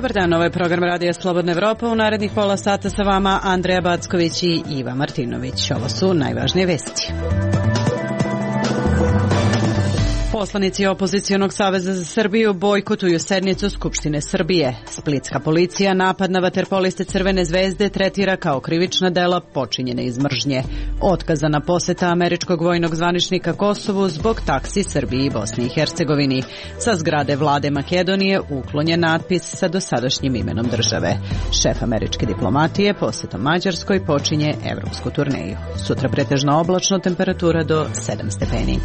Dobar dan, ovo je program Radija Slobodna Evropa. U narednih pola sata sa vama Andreja Backović i Iva Martinović. Ovo su najvažnije vesti. Poslanici Opozicionog saveza za Srbiju bojkotuju sednicu Skupštine Srbije. Splitska policija napad na vaterpoliste Crvene zvezde tretira kao krivična dela počinjene iz mržnje. Otkazana poseta američkog vojnog zvaničnika Kosovu zbog taksi Srbiji i Bosni i Hercegovini. Sa zgrade vlade Makedonije uklonjen natpis sa dosadašnjim imenom države. Šef američke diplomatije posetom Mađarskoj počinje evropsku turneju. Sutra pretežno oblačno, temperatura do 7 stepeni.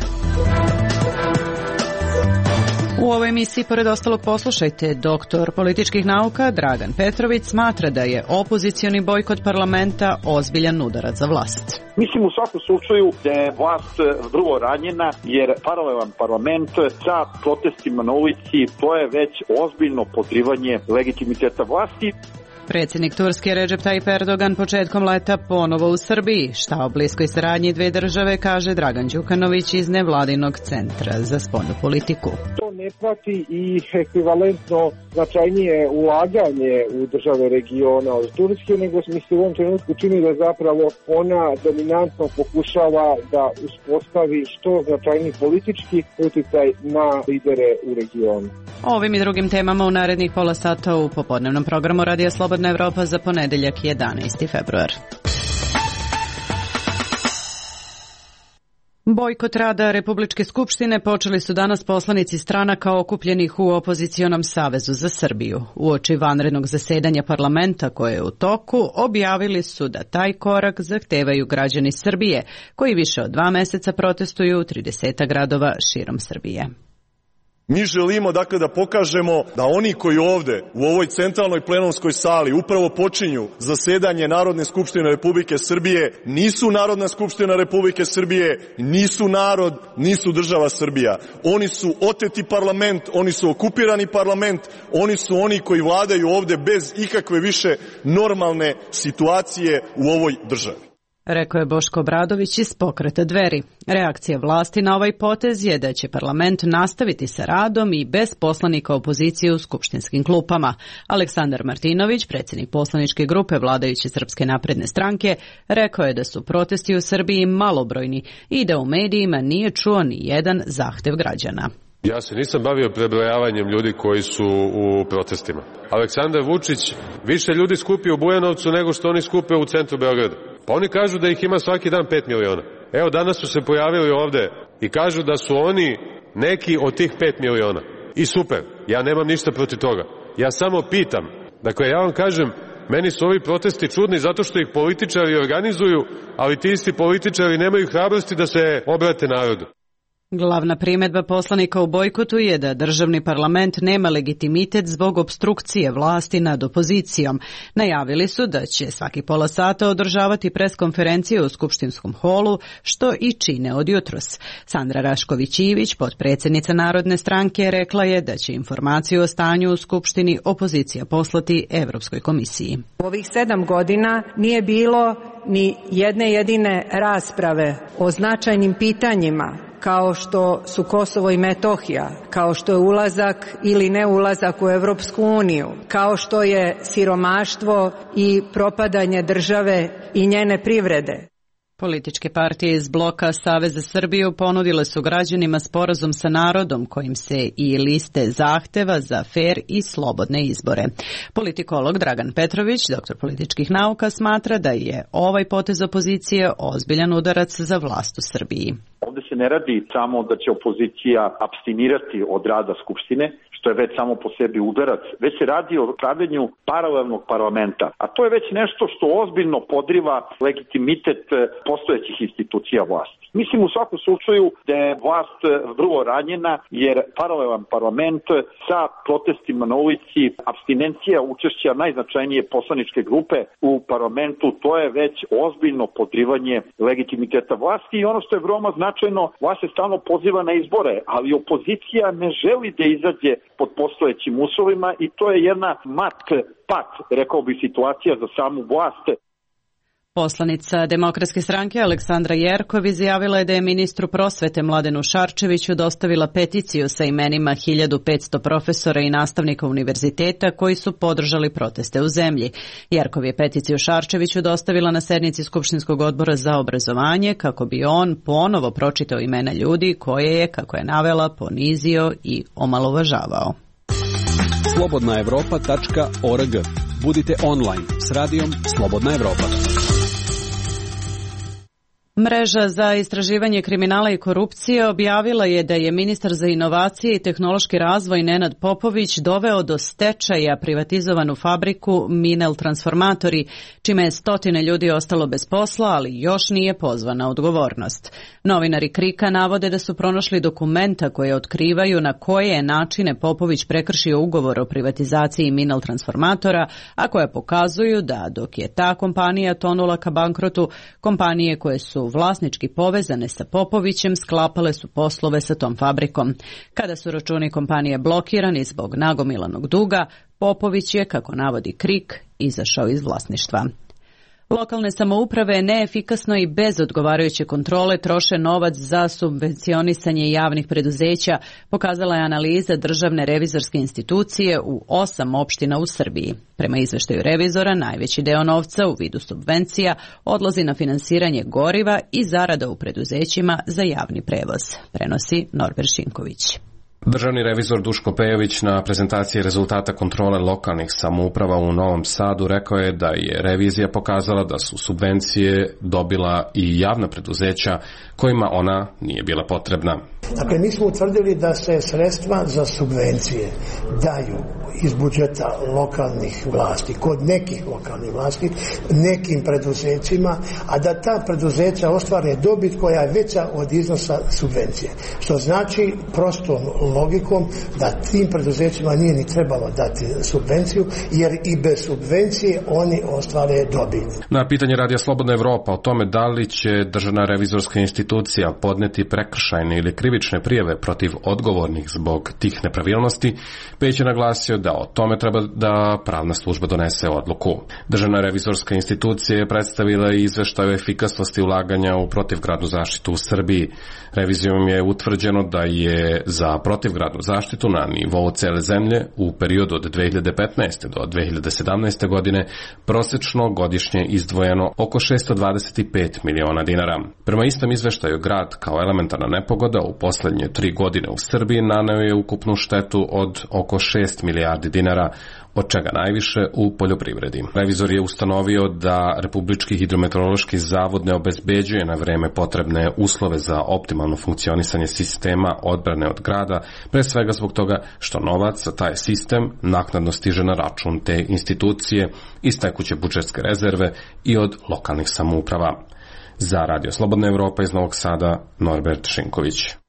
U ovoj emisiji, pored ostalog, poslušajte, doktor političkih nauka Dragan Petrović smatra da je opozicioni bojkot parlamenta ozbiljan udarac za vlast. Mislim u svakom slučaju da je vlast vrlo ranjena jer paralelan parlament sa protestima na ulici to je već ozbiljno podrivanje legitimiteta vlasti. Predsjednik Turske Recep Tayyip Erdogan početkom leta ponovo u Srbiji. Šta o bliskoj saradnji dve države kaže Dragan Đukanović iz nevladinog centra za spoljnu politiku. To ne prati i ekvivalentno značajnije ulaganje u države regiona od Turske, nego mi se u ovom trenutku čini da zapravo ona dominantno pokušava da uspostavi što značajniji politički utjecaj na lidere u regionu. Ovim i drugim temama u narednih pola sata u popodnevnom programu Radija Slobodna Evropa za ponedeljak 11. februar. Bojkot rada Republičke skupštine počeli su danas poslanici stranaka okupljenih u Opozicionom savezu za Srbiju. Uoči vanrednog zasedanja parlamenta koje je u toku, objavili su da taj korak zahtevaju građani Srbije, koji više od 2 meseca protestuju u 30 gradova širom Srbije. Mi želimo dakle da pokažemo da oni koji ovde u ovoj centralnoj plenumskoj sali upravo počinju zasedanje Narodne skupštine Republike Srbije nisu Narodna skupština Republike Srbije, nisu narod, nisu država Srbija. Oni su oteti parlament, oni su okupirani parlament, oni su oni koji vladaju ovde bez ikakve više normalne situacije u ovoj državi. Rekao je Boško Obradović iz Pokreta Dveri. Reakcija vlasti na ovaj potez je da će parlament nastaviti sa radom i bez poslanika opozicije u skupštinskim klupama. Aleksandar Martinović, predsjednik poslaničke grupe vladajuće Srpske napredne stranke, rekao je da su protesti u Srbiji malobrojni i da u medijima nije čuo ni jedan zahtev građana. Ja se nisam bavio prebrojavanjem ljudi koji su u protestima. Aleksandar Vučić više ljudi skupi u Bujanovcu nego što oni skupe u centru Beograda. Pa oni kažu da ih ima svaki dan 5 miliona. Evo danas su se pojavili ovde i kažu da su oni neki od tih 5 miliona. I super, ja nemam ništa protiv toga. Ja samo pitam, dakle ja vam kažem, meni su ovi protesti čudni zato što ih političari organizuju, ali ti isti političari nemaju hrabrosti da se obrate narodu. Glavna primedba poslanika u bojkotu je da državni parlament nema legitimitet zbog opstrukcije vlasti nad opozicijom. Najavili su da će svaki pola sata održavati preskonferencije u skupštinskom holu, što i čine od jutros. Sandra Rašković-Ivić, potpredsjednica Narodne stranke, rekla je da će informaciju o stanju u skupštini opozicija poslati Evropskoj komisiji. U ovih 7 godina nije bilo ni jedne jedine rasprave o značajnim pitanjima kao što su Kosovo i Metohija, kao što je ulazak ili neulazak u Evropsku uniju, kao što je siromaštvo i propadanje države i njene privrede. Političke partije iz bloka Savez za Srbiju ponudile su građanima sporazum sa narodom kojim se i liste zahteva za fer i slobodne izbore. Politikolog Dragan Petrović, doktor političkih nauka, smatra da je ovaj potez opozicije ozbiljan udarac za vlast u Srbiji. Ovde se ne radi samo da će opozicija apstinirati od rada Skupštine, što je već samo po sebi udarac, već se radi o pravljenju paralelnog parlamenta. A to je već nešto što ozbiljno podriva legitimitet postojećih institucija vlasti. Mislim u svakom slučaju da je vlast vrlo ranjena jer paralelan parlament sa protestima na ulici, apstinencija učešća najznačajnije poslaničke grupe u parlamentu, to je već ozbiljno podrivanje legitimiteta vlasti i ono što je veoma značajno, vlast se stalno poziva na izbore, ali opozicija ne želi da izađe pod postojećim uslovima i to je jedna rekao bi, situacija za samu vlast. Poslanica Demokratske stranke Aleksandra Jerkov izjavila je da je ministru prosvete Mladenu Šarčeviću dostavila peticiju sa imenima 1500 profesora i nastavnika univerziteta koji su podržali proteste u zemlji. Jerkov je peticiju Šarčeviću dostavila na sednici Skupštinskog odbora za obrazovanje kako bi on ponovo pročitao imena ljudi koje je, kako je navela, ponizio i omalovažavao. slobodnaevropa.org. Budite online s radijom Slobodna Evropa. Mreža za istraživanje kriminala i korupcije objavila je da je ministar za inovacije i tehnološki razvoj Nenad Popović doveo do stečaja privatizovanu fabriku Minel Transformatori, čime je stotine ljudi ostalo bez posla, ali još nije pozvana odgovornost. Novinari KRIK-a navode da su pronašli dokumenta koje otkrivaju na koje načine Popović prekršio ugovor o privatizaciji Minel Transformatora, a koje pokazuju da dok je ta kompanija tonula ka bankrotu, kompanije koje su vlasnički povezane sa Popovićem sklapale su poslove sa tom fabrikom. Kada su računi kompanije blokirani zbog nagomilanog duga, Popović je, kako navodi KRIK, izašao iz vlasništva. Lokalne samouprave neefikasno i bez odgovarajuće kontrole troše novac za subvencionisanje javnih preduzeća, pokazala je analiza Državne revizorske institucije u 8 opština u Srbiji. Prema izveštaju revizora, najveći deo novca u vidu subvencija odlazi na finansiranje goriva i zarada u preduzećima za javni prevoz, prenosi Norbert Šinković. Državni revizor Duško Pejović na prezentaciji rezultata kontrole lokalnih samouprava u Novom Sadu rekao je da je revizija pokazala da su subvencije dobila i javna preduzeća kojima ona nije bila potrebna. Dakle, mi smo utvrdili da se sredstva za subvencije daju iz budžeta lokalnih vlasti, kod nekih lokalnih vlasti, nekim preduzećima, a da ta preduzeća ostvare dobit koja je veća od iznosa subvencije. Što znači prostom logikom da tim preduzećima nije ni trebalo dati subvenciju, jer i bez subvencije oni ostvare dobit. Na pitanje Radija Slobodna Evropa o tome da li će Državna revizorska institucija podneti prekršajne ili krivične prijave protiv odgovornih zbog tih nepravilnosti, Peć je naglasio da o tome treba da pravna služba donese odluku. Državna revizorska institucija je predstavila i izveštaj o efikasnosti ulaganja u protivgradnu zaštitu u Srbiji. Revizijom je utvrđeno da je za protivgradnu zaštitu na nivou cele zemlje u periodu od 2015. do 2017. godine prosečno godišnje izdvojeno oko 625 miliona dinara. Prema istom izveštaju, grad kao elementarna nepogoda u poslednje 3 godine u Srbiji naneo je ukupnu štetu od oko 6 milijardi dinara, od čega najviše u poljoprivredi. Revizor je ustanovio da Republički hidrometeorološki zavod ne obezbeđuje na vreme potrebne uslove za optimalno funkcionisanje sistema odbrane od grada, pre svega zbog toga što novac za taj sistem naknadno stiže na račun te institucije iz tekuće budžetske rezerve i od lokalnih samouprava. Za Radio Slobodna Evropa iz Novog Sada, Norbert Šinković.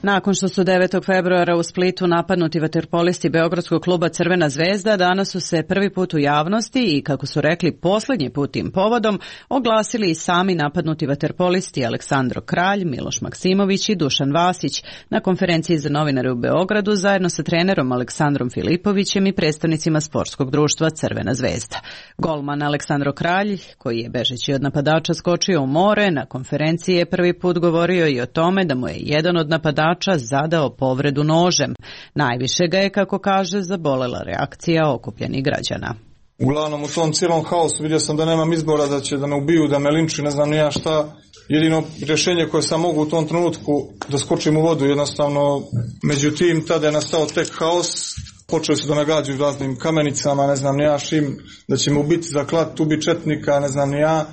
Nakon što su 9. februara u Splitu napadnuti vaterpolisti Beogradskog kluba Crvena zvezda, danas su se prvi put u javnosti i, kako su rekli, poslednji put tim povodom oglasili i sami napadnuti vaterpolisti Aleksandro Kralj, Miloš Maksimović i Dušan Vasić na konferenciji za novinare u Beogradu zajedno sa trenerom Aleksandrom Filipovićem i predstavnicima sportskog društva Crvena zvezda. Golman Aleksandro Kralj, koji je bežeći od napadača skočio u more, na konferenciji je prvi put govorio i o tome da mu je jedan od napadača zadao povredu nožem. Najviše ga je, kako kaže, zabolela reakcija okupljenih građana. Uglavnom u tom cijelom haosu vidio sam da nemam izbora, da će da me ubiju, da me linčuju, ne znam ni ja šta. Jedino rješenje koje sam mogu u tom trenutku da skočim u vodu, jednostavno. Međutim, tada je nastao tek haos. Počeli su da me gađaju raznim kamenicama, ne znam ni ja šim, da će me ubiti za klat, ubi četnika, ne znam ni ja.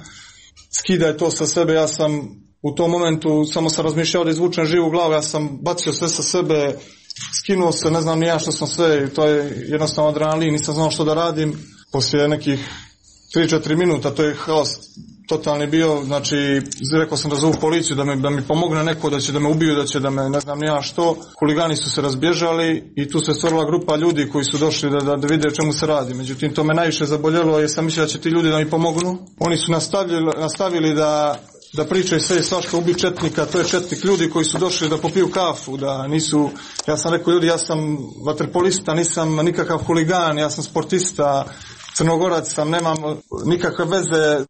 Skidaj to sa sebe, ja sam u tom momentu samo sam razmišljao da izvučem živu glavu, ja sam bacio sve sa sebe, skinuo se, ne znam ni ja što sam sve, to je jednostavno adrenalin, nisam znao što da radim. Poslije nekih 3-4 minuta, to je haos totalni bio, znači rekao sam da zovu policiju, da mi pomogne neko, da će da me ubiju, da će da me, ne znam ni ja što. Huligani su se razbježali i tu se stvorila grupa ljudi koji su došli da vide o čemu se radi. Međutim, to me najviše zaboljelo jer sam mislio da će ti ljudi da mi pomognu. Oni su nastavili da da pričaju sve svašta ubi četnika, to je četnik, ljudi koji su došli da popiju kafu, da nisu, ja sam rekao ljudi, ja sam vaterpolista, nisam nikakav huligan, ja sam sportista, Crnogorac sam, nemam nikakve veze.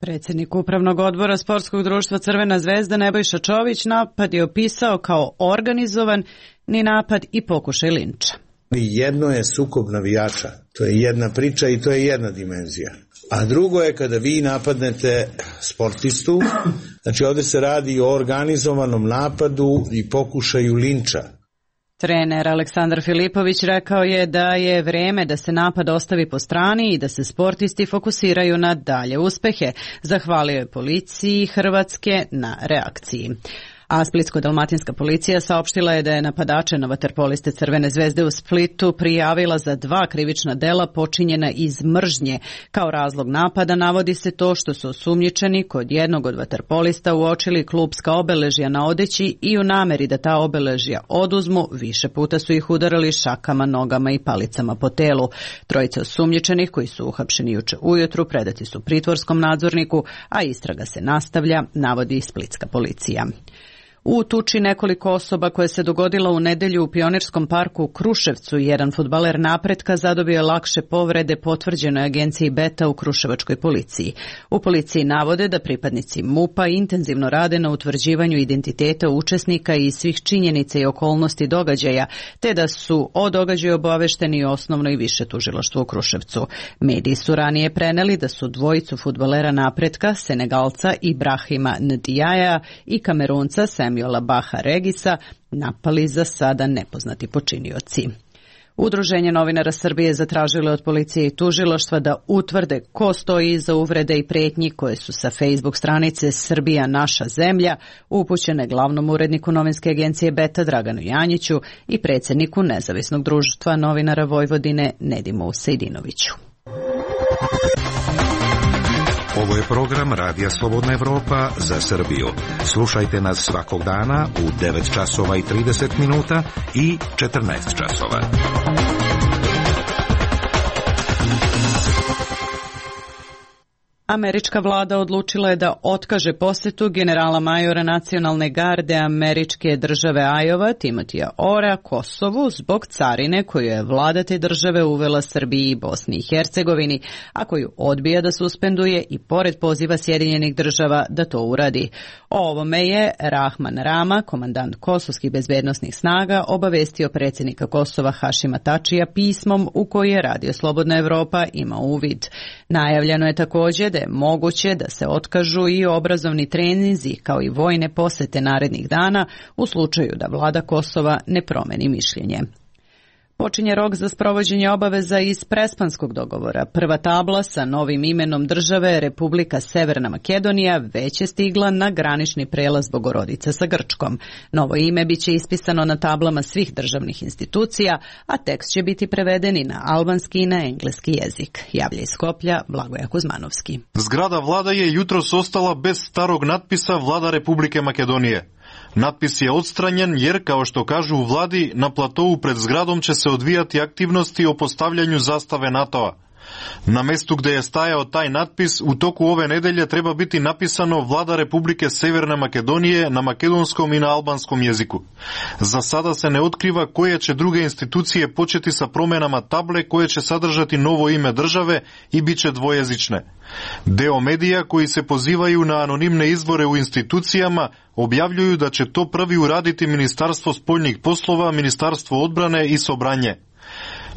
Predsjednik Upravnog odbora Sportskog društva Crvena zvezda Nebojša Čović napad je opisao kao organizovan ni napad i pokušaj linča. Jedno je sukob navijača, to je jedna priča i to je jedna dimenzija. A drugo je kada vi napadnete sportistu, znači ovdje se radi o organizovanom napadu i pokušaju linča. Trener Aleksandar Filipović rekao je da je vreme da se napad ostavi po strani i da se sportisti fokusiraju na dalje uspehe. Zahvalio je policiji Hrvatske na reakciji. A Splitsko-dalmatinska policija saopštila je da je napadače na vaterpoliste Crvene zvezde u Splitu prijavila za 2 krivična dela počinjena iz mržnje. Kao razlog napada navodi se to što su osumnjičeni kod jednog od vaterpolista uočili klupska obeležja na odeći i u nameri da ta obeležja oduzmu, više puta su ih udarali šakama, nogama i palicama po telu. Trojica osumnjičenih koji su uhapšeni juče ujutru predati su pritvorskom nadzorniku, a istraga se nastavlja, navodi Splitska policija. U tuči nekoliko osoba koja se dogodila u nedelju u Pionirskom parku u Kruševcu, jedan fudbaler Napretka zadobio je lakše povrede, potvrđenoj agenciji Beta u kruševačkoj policiji. U policiji navode da pripadnici MUP-a intenzivno rade na utvrđivanju identiteta učesnika i svih činjenica i okolnosti događaja, te da su o događaju obavešteni osnovno i više tužilaštvo u Kruševcu. Mediji su ranije preneli da su dvojicu fudbalera Napretka, Senegalca Ibrahima Ndiaja i Kamerunca Samuela Baha Regisa, napali za sada nepoznati počinioci. Udruženje novinara Srbije zatražilo od policije i tužilaštva da utvrde ko stoji iza uvrede i pretnji koje su sa Facebook stranice Srbija naša zemlja upućene glavnom uredniku novinske agencije Beta Draganu Janjiću i predsjedniku Nezavisnog društva novinara Vojvodine Nedimu Sejdinoviću. Ovo je program Radija Slobodna Evropa za Srbiju. Slušajte nas svakog dana u 9 časova i 30 minuta i 14 časova. Američka vlada odlučila je da otkaže posjetu generala majora nacionalne garde američke države Iowa, Timothya Ora, Kosovu zbog carine koju je vlada te države uvela Srbiji i Bosni i Hercegovini, a koju odbija da suspenduje i pored poziva Sjedinjenih država da to uradi. O ovome je Rahman Rama, komandant kosovskih bezbednosnih snaga, obavestio predsjednika Kosova Hašima Tačija pismom u koji je Radio Slobodna Evropa ima uvid. Najavljeno je također da je moguće da se otkažu i obrazovni treninzi kao i vojne posete narednih dana u slučaju da vlada Kosova ne promeni mišljenje. Počinje rok za sprovođenje obaveza iz Prespanskog dogovora. Prva tabla sa novim imenom države Republika Severna Makedonija već je stigla na granični prelaz Bogorodice sa Grčkom. Novo ime biće ispisano na tablama svih državnih institucija, a tekst će biti preveden i na albanski i na engleski jezik. Javlja iz Skoplja Blagoja Kuzmanovski. Zgrada vlada je jutros ostala bez starog natpisa Vlada Republike Makedonije. Natpis je odstranjen jer, kao što kažu u vladi, na platovu pred zgradom će se odvijati aktivnosti o postavljanju zastave NATO-a. Na mestu gde je stajao taj natpis, u toku ove nedelje treba biti napisano Vlada Republike Severne Makedonije na makedonskom i na albanskom jeziku. Za sada se ne otkriva koje će druge institucije početi sa promenama table koje će sadržati novo ime države i bit će dvojezične. Deo medija koji se pozivaju na anonimne izvore u institucijama objavljuju da će to prvi uraditi Ministarstvo spoljnih poslova, Ministarstvo odbrane i Sobranje.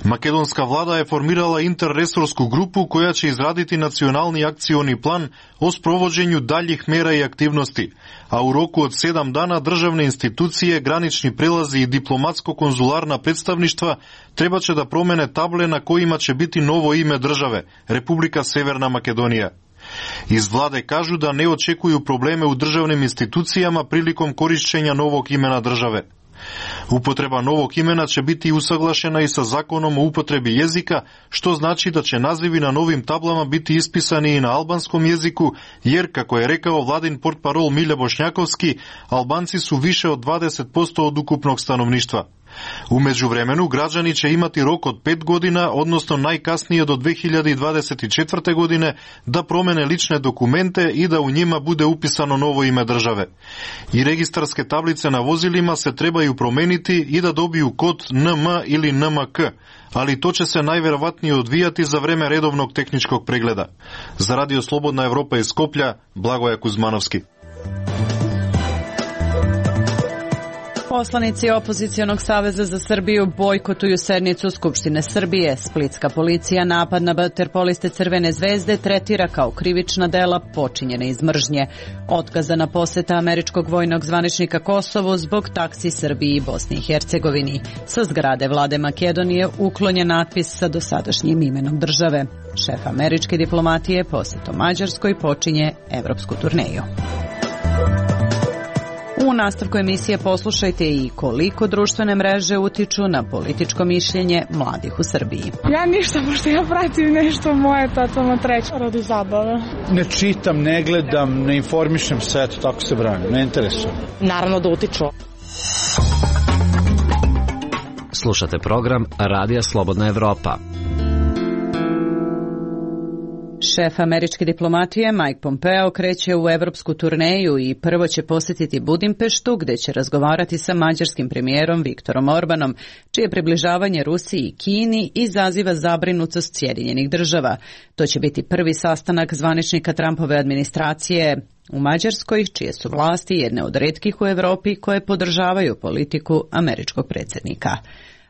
Makedonska vlada je formirala interresorsku grupu koja će izraditi nacionalni akcioni plan o sprovođenju daljih mera i aktivnosti, a u roku od 7 dana državne institucije, granični prelazi i diplomatsko-konzularna predstavništva treba će da promene table na kojima će biti novo ime države, Republika Severna Makedonija. Iz vlade kažu da ne očekuju probleme u državnim institucijama prilikom korišćenja novog imena države. Upotreba novog imena će biti usaglašena i sa zakonom o upotrebi jezika, što znači da će nazivi na novim tablama biti ispisani i na albanskom jeziku, jer, kako je rekao vladin portparol Milja Bošnjakovski, Albanci su više od 20% od ukupnog stanovništva. U međuvremenu, građani će imati rok od 5 godina, odnosno najkasnije do 2024. godine, da promene lične dokumente i da u njima bude upisano novo ime države. I registarske tablice na vozilima se trebaju promeniti i da dobiju kod NM ili NMK, ali to će se najverovatnije odvijati za vreme redovnog tehničkog pregleda. Za Radio Slobodna Evropa iz Skoplja, Blagoje Kuzmanovski. Poslanici Opozicionog saveza za Srbiju bojkotuju sednicu Skupštine Srbije. Splitska policija napad na vaterpoliste Crvene zvezde tretira kao krivična dela počinjene iz mržnje. Otkazana poseta američkog vojnog zvaničnika Kosovu zbog taksi Srbiji i Bosni i Hercegovini. Sa zgrade vlade Makedonije uklonjen natpis sa dosadašnjim imenom države. Šef američke diplomatije posetom Mađarskoj počinje evropsku turneju. U nastavku emisije poslušajte i koliko društvene mreže utiču na političko mišljenje mladih u Srbiji. Ja ništa, pošto ja pratim nešto moje totalno treće radi zabave. Ne čitam, ne gledam, ne informišem se, eto, tako se branim, ne interesujem. Naravno da utiču. Slušate program Radija Slobodna Evropa. Šef američke diplomatije Mike Pompeo kreće u evropsku turneju i prvo će posjetiti Budimpeštu, gde će razgovarati sa mađarskim premijerom Viktorom Orbanom, čije približavanje Rusiji i Kini izaziva zabrinutost Sjedinjenih država. To će biti prvi sastanak zvaničnika Trumpove administracije u Mađarskoj, čije su vlasti jedne od retkih u Evropi koje podržavaju politiku američkog predsjednika.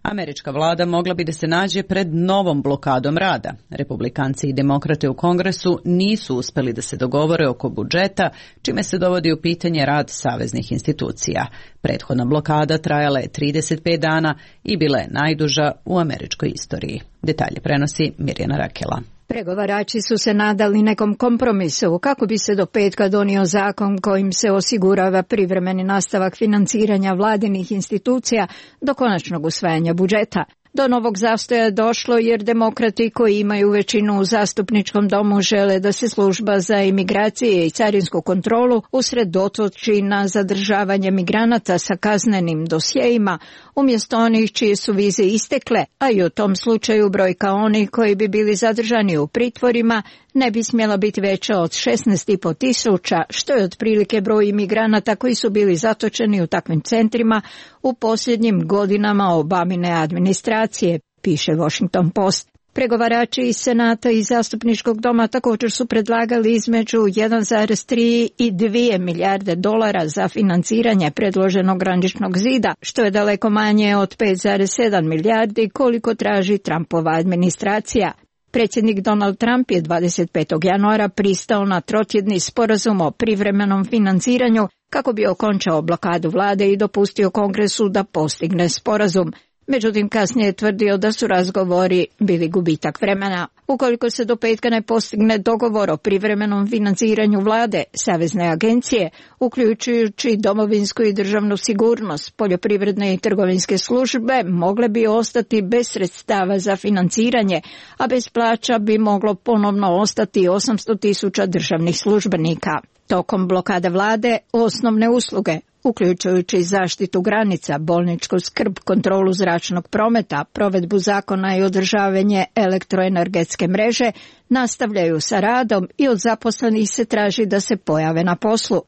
Američka vlada mogla bi da se nađe pred novom blokadom rada. Republikanci i demokrate u Kongresu nisu uspeli da se dogovore oko budžeta, čime se dovodi u pitanje rad saveznih institucija. Prethodna blokada trajala je 35 dana i bila je najduža u američkoj istoriji. Detalje prenosi Mirjana Rakela. Pregovarači su se nadali nekom kompromisu kako bi se do petka donio zakon kojim se osigurava privremeni nastavak financiranja vladinih institucija do konačnog usvajanja budžeta. Do novog zastoja je došlo jer demokrati koji imaju većinu u zastupničkom domu žele da se služba za imigracije i carinsku kontrolu usredotoči na zadržavanje migranata sa kaznenim dosjejima umjesto onih čije su vize istekle, a i u tom slučaju brojka onih koji bi bili zadržani u pritvorima ne bi smjela biti veća od 16,5 tisuća, što je otprilike broj imigranata koji su bili zatočeni u takvim centrima u posljednjim godinama Obamine administracije, piše Washington Post. Pregovarači iz Senata i Zastupničkog doma također su predlagali između 1,3 i 2 milijarde dolara za financiranje predloženog graničnog zida, što je daleko manje od 5,7 milijardi koliko traži Trumpova administracija. Predsjednik Donald Trump je 25. januara pristao na trotjedni sporazum o privremenom financiranju kako bi okončao blokadu vlade i dopustio Kongresu da postigne sporazum. Međutim, kasnije je tvrdio da su razgovori bili gubitak vremena. Ukoliko se do petka ne postigne dogovor o privremenom financiranju vlade, savezne agencije, uključujući domovinsku i državnu sigurnost, poljoprivredne i trgovinske službe, mogle bi ostati bez sredstava za financiranje, a bez plaća bi moglo ponovno ostati 800,000 državnih službenika. Tokom blokade vlade, osnovne usluge, uključujući zaštitu granica, bolničku skrb, kontrolu zračnog prometa, provedbu zakona i održavanje elektroenergetske mreže, nastavljaju sa radom i od zaposlenih se traži da se pojave na poslu.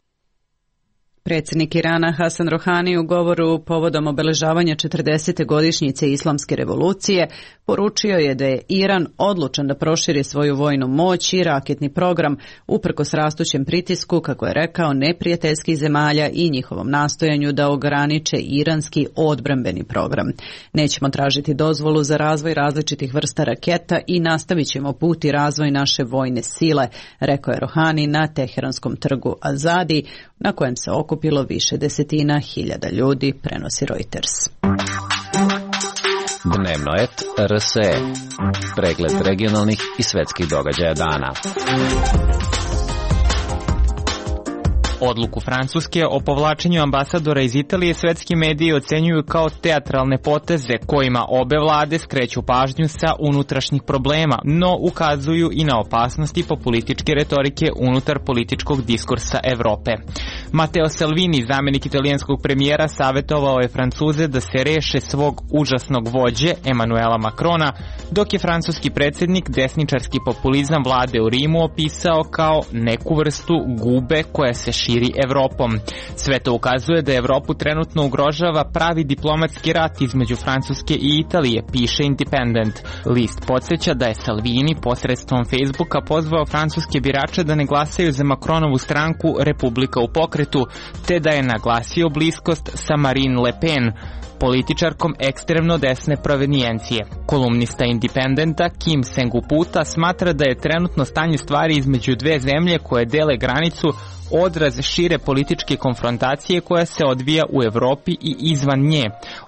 Predsjednik Irana Hasan Rohani u govoru povodom obeležavanja 40. godišnjice Islamske revolucije poručio je da je Iran odlučan da proširi svoju vojnu moć i raketni program uprkos rastućem pritisku, kako je rekao, neprijateljskih zemalja i njihovom nastojanju da ograniče iranski odbrambeni program. Nećemo tražiti dozvolu za razvoj različitih vrsta raketa i nastavit ćemo put i razvoj naše vojne sile, rekao je Rohani na Teheranskom trgu Azadi, na kojem se okupilo više desetina hiljada ljudi, prenosi Reuters. Dnevno et RSE. Pregled regionalnih i svetskih događaja dana. Odluku Francuske o povlačenju ambasadora iz Italije svetski mediji ocenjuju kao teatralne poteze kojima obe vlade skreću pažnju sa unutrašnjih problema, no ukazuju i na opasnosti populističke retorike unutar političkog diskursa Evrope. Matteo Salvini, zamenik italijanskog premijera, savjetovao je Francuze da se reše svog užasnog vođe Emanuela Macrona, dok je francuski predsjednik desničarski populizam vlade u Rimu opisao kao neku vrstu gube koja se širi Evropom. Sve to ukazuje da Evropu trenutno ugrožava pravi diplomatski rat između Francuske i Italije, piše Independent. List podsjeća da je Salvini posredstvom Facebooka pozvao francuske birače da ne glasaju za Macronovu stranku Republika u pokretu, te da je naglasio bliskost sa Marine Le Pen, političarkom ekstremno desne provenijencije. Kolumnista Independenta Kim Senguputa smatra da je trenutno stanje stvari između dve zemlje koje dele granicu odraz šire političke konfrontacije koja se odvija u Evropi i izvan nje.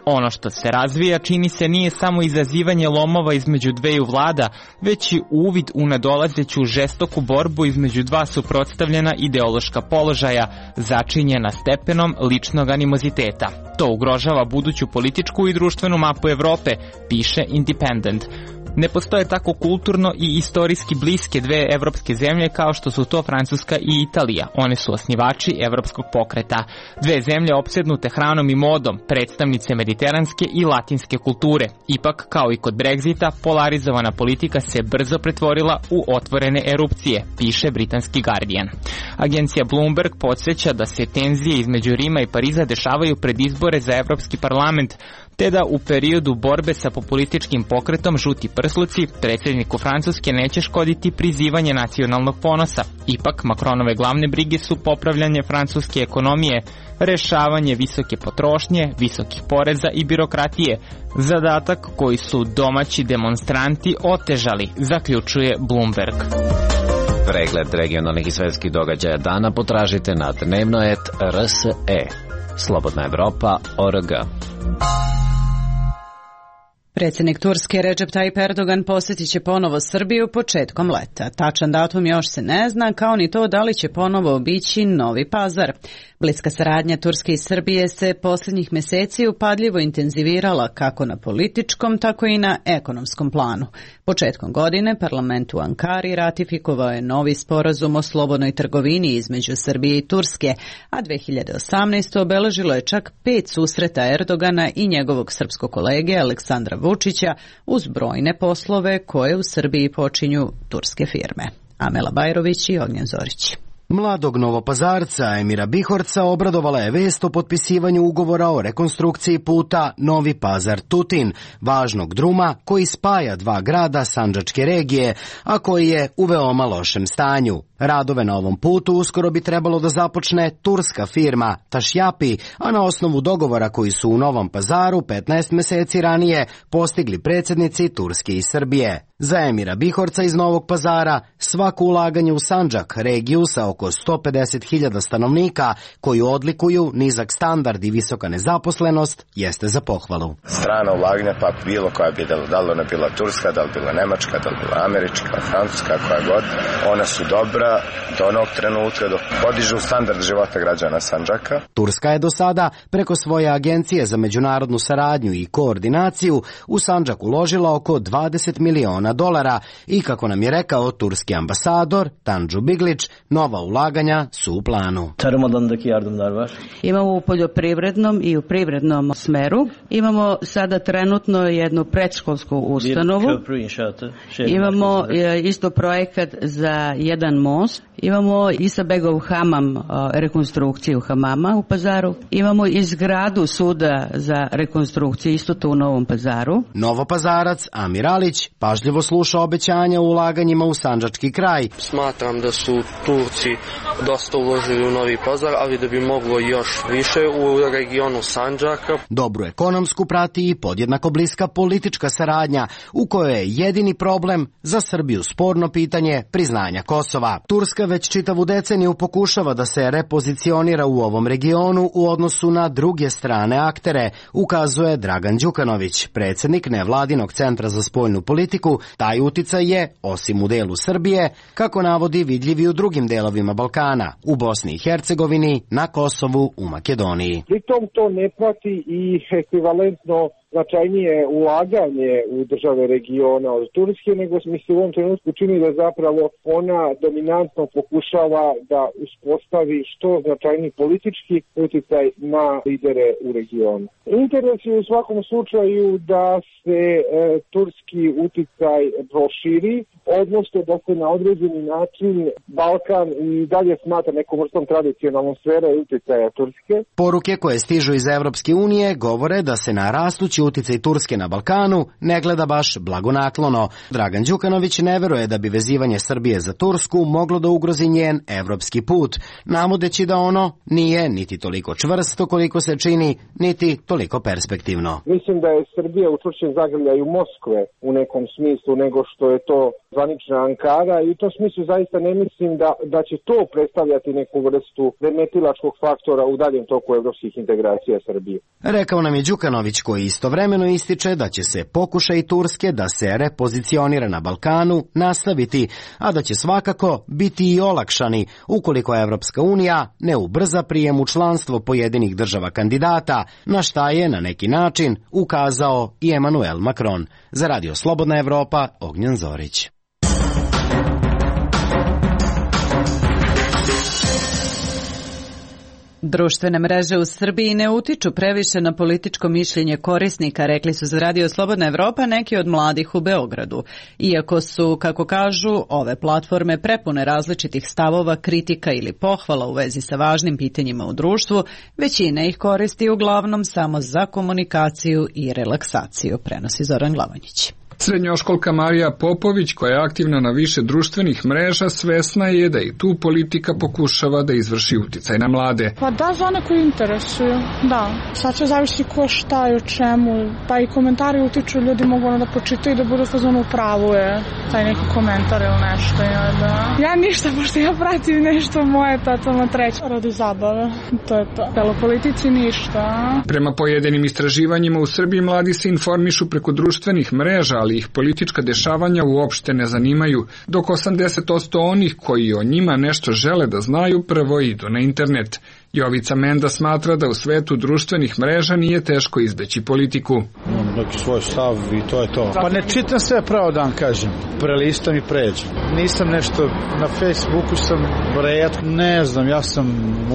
Ono što se razvija čini se nije samo izazivanje lomova između dveju vlada, već i uvid u nadolazeću žestoku borbu između dva suprotstavljena ideološka položaja, začinjena stepenom ličnog animoziteta. To ugrožava buduću političku i društvenu mapu Evrope, piše Independent. Ne postoje tako kulturno i istorijski bliske dve evropske zemlje kao što su to Francuska i Italija. One su osnivači evropskog pokreta. Dve zemlje opsednute hranom i modom, predstavnice mediteranske i latinske kulture. Ipak, kao i kod Brexita, polarizovana politika se brzo pretvorila u otvorene erupcije, piše britanski Guardian. Agencija Bloomberg podsjeća da se tenzije između Rima i Pariza dešavaju pred izbore za Evropski parlament, te da u periodu borbe sa populističkim pokretom Žuti prsluci predsjedniku Francuske neće škoditi prizivanje nacionalnog ponosa. Ipak, Macronove glavne brige su popravljanje francuske ekonomije, rešavanje visoke potrošnje, visokih poreza i birokratije, zadatak koji su domaći demonstranti otežali, zaključuje Bloomberg. Pregled regionalnih i svetskih događaja dana potražite na dnevnoet.rse. Slobodna Evropa.org. Predsjednik Turske Recep Tayyip Erdogan posjetit će ponovo Srbiju početkom leta. Tačan datum još se ne zna, kao ni to da li će ponovo obići Novi Pazar. Bliska saradnja Turske i Srbije se posljednjih mjeseci upadljivo intenzivirala kako na političkom, tako i na ekonomskom planu. Početkom godine parlament u Ankari ratifikovao je novi sporazum o slobodnoj trgovini između Srbije i Turske, a 2018. obeležilo je čak 5 susreta Erdogana i njegovog srpskog kolege Aleksandra Vučića uz brojne poslove koje u Srbiji počinju turske firme. Amela Bajrović i Ognjen Zorić. Mladog Novopazarca Emira Bihorca obradovala je vest o potpisivanju ugovora o rekonstrukciji puta Novi Pazar-Tutin, važnog druma koji spaja dva grada sandžačke regije, a koji je u veoma lošem stanju. Radove na ovom putu uskoro bi trebalo da započne turska firma Tašjapi, a na osnovu dogovora koji su u Novom Pazaru 15 meseci ranije postigli predsjednici Turske i Srbije. Za Emira Bihorca iz Novog Pazara svako ulaganje u Sandžak, regiju sa oko 150.000 stanovnika, koju odlikuju nizak standard i visoka nezaposlenost, jeste za pohvalu. Strana ulaganja, pa bilo koja bi da li ona bila turska, da li bila nemačka, da li bila američka, francuska, koja god, ona su dobra do onog trenutka dok podižu standard života građana Sandžaka. Turska je do sada preko svoje agencije za međunarodnu saradnju i koordinaciju u Sandžak uložila oko $20 miliona i, kako nam je rekao turski ambasador Tanju Biglić, nova ulaganja su u planu. Imamo u poljoprivrednom i u privrednom smeru. Imamo sada trenutno jednu predškolsku ustanovu. Imamo isto projekat za jedan most. Imamo Isabegov hamam, rekonstrukciju hamama u Pazaru. Imamo izgradu suda za rekonstrukciju, isto to u Novom Pazaru. Novopazarac Amir Alić pažljivo sluša obećanja o ulaganjima u sandžački kraj. Smatram da su Turci dosta uložili u Novi Pazar, ali da bi moglo još više u regionu Sandžaka. Dobru ekonomsku prati i podjednako bliska politička saradnja, u kojoj je jedini problem za Srbiju sporno pitanje priznanja Kosova. Turska već čitavu deceniju pokušava da se repozicionira u ovom regionu u odnosu na druge strane aktere, ukazuje Dragan Đukanović, predsjednik nevladinog centra za spoljnu politiku. Taj uticaj je, osim u delu Srbije, kako navodi, vidljiv i u drugim delovima Balkana, u Bosni i Hercegovini, na Kosovu, u Makedoniji. Pritom to ne prati i ekvivalentno značajnije ulaganje u države regiona od Turske, nego mi se u ovom trenutku čini da zapravo ona dominantno pokušava da uspostavi što značajniji politički uticaj na lidere u regionu. Interes je u svakom slučaju da se turski uticaj proširi, odnosno da se na određeni način Balkan i dalje smatra nekom vrstom tradicionalnom sfere uticaja Turske. Poruke koje stižu iz Evropske unije govore da se na rastući uticaj Turske na Balkanu ne gleda baš blagonaklono. Dragan Đukanović ne veruje da bi vezivanje Srbije za Tursku moglo da ugrozi njen evropski put, navodeći da ono nije niti toliko čvrsto koliko se čini, niti toliko perspektivno. Mislim da je Srbija u čvršćem zagrljaju Moskve u nekom smislu nego što je to zvanična Ankara i u tom smislu zaista ne mislim da će to predstavljati neku vrstu remetilačkog faktora u daljem toku evropskih integracija Srbije. Rekao nam je Đukanović, koji istovremeno ističe da će se pokušaj Turske da se repozicionira na Balkanu nastaviti, a da će svakako biti i olakšani ukoliko Evropska unija ne ubrza prijem u članstvo pojedinih država kandidata, na šta je na neki način ukazao i Emmanuel Macron. Za Radio Slobodna Evropa, Ognjen Zorić. Društvene mreže u Srbiji ne utiču previše na političko mišljenje korisnika, rekli su za Radio Slobodna Evropa neki od mladih u Beogradu. Iako su, kako kažu, ove platforme prepune različitih stavova, kritika ili pohvala u vezi sa važnim pitanjima u društvu, većina ih koristi uglavnom samo za komunikaciju i relaksaciju, prenosi Zoran Glavanjić. Srednjoškolka Marija Popović, koja je aktivna na više društvenih mreža, svesna je da i tu politika pokušava da izvrši uticaj na mlade. Pa da, za one koji interesuju, da. Sad će zavisi ko šta i o čemu, pa i komentari utiču, ljudi mogu ono da pročitaju i da budu fazonu pravu je taj neki komentar ili nešto. Ja ništa, pošto ja pratim nešto moje totalno treće radi zabave. To je to. Pelo politici ništa. Prema pojedinim istraživanjima u Srbiji mladi se informišu preko društvenih mreža, ali ih politička dešavanja uopšte ne zanimaju, dok 80% onih koji o njima nešto žele da znaju prvo idu na internet. Jovica Menda smatra da u svetu društvenih mreža nije teško izbeći politiku. Imam neki svoj stav i to je to. Pa ne čitam sve pravo dan, kažem. Prelistam i pređem. Nisam nešto na Facebooku, sam retko, ne znam, ja sam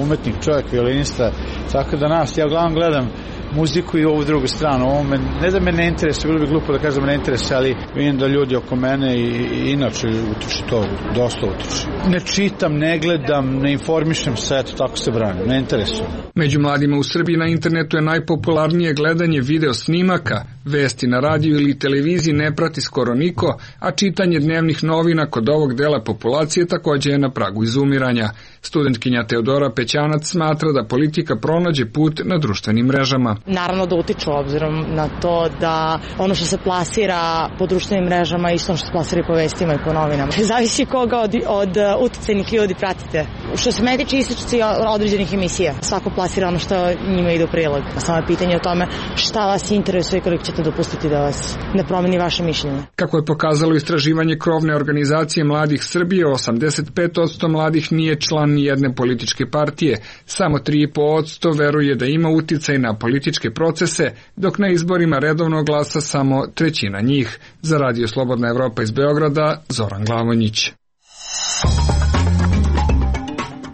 umetnik, čovjek, violinista, tako da ja uglavnom gledam muziku i ovu drugu stranu. Ovo ne da me ne interesuje, bilo bi glupo da kažem da me ne interesuje, ali vidim da ljudi oko mene i inače utiče to, dosta utiče. Ne čitam, ne gledam, ne informišem se, eto, tako se branim, ne interesuje. Među mladima u Srbiji na internetu je najpopularnije gledanje video snimaka, vesti na radiju ili televiziji ne prati skoro niko, a čitanje dnevnih novina kod ovog dela populacije također je na pragu izumiranja. Studentkinja Teodora Pećanac smatra da politika pronađe put na društvenim mrežama. Naravno da utiču obzirom na to da ono što se plasira po društvenim mrežama isto što se plasira i po vestima i po novinama. Zavisi koga od uticajnih ljudi pratite. Što se mene tiče ističuci određenih emisija. Svako plasira ono što njima ide u prilog. Samo je pitanje o tome šta vas interesuje i koliko ćete dopustiti da vas ne promeni vaše mišljenje. Kako je pokazalo istraživanje krovne organizacije Mladih Srbije, 85% mladih nije član ni jedne političke partije. Samo 3,5% veruje da ima uticaj na političke procese, dok na izborima redovno glasa samo trećina njih. Za Radio Slobodna Evropa iz Beograda, Zoran Glavanjić.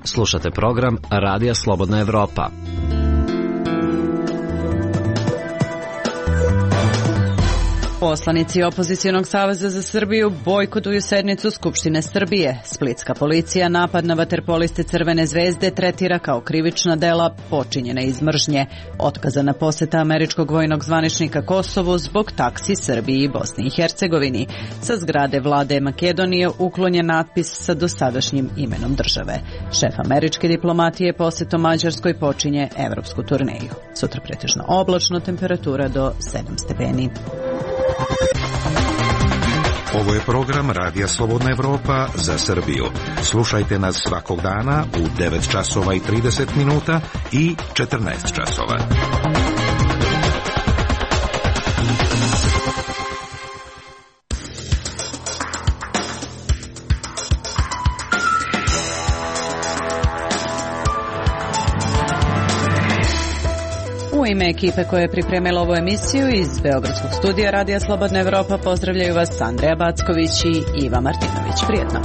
Slušate program Radija Slobodna Evropa. Poslanici Opozicionog saveza za Srbiju bojkotuju sednicu Skupštine Srbije. Splitska policija napad na vaterpoliste Crvene zvezde tretira kao krivična dela počinjene iz mržnje. Otkazana poseta američkog vojnog zvaničnika Kosovu zbog taksi Srbiji i Bosni i Hercegovini. Sa zgrade vlade Makedonije uklonjen natpis sa dosadašnjim imenom države. Šef američke diplomatije posetom Mađarskoj počinje evropsku turneju. Sutra pretežno oblačno, temperatura do 7 stepeni. Ovo je program Radija Slobodna Evropa za Srbiju. Slušajte nas svakog dana u 9 časova i 30 minuta i 14 časova. U ime ekipe koja je pripremila ovu emisiju iz Beogradskog studija Radija Slobodna Evropa pozdravljaju vas Andreja Backović i Iva Martinović. Prijetno.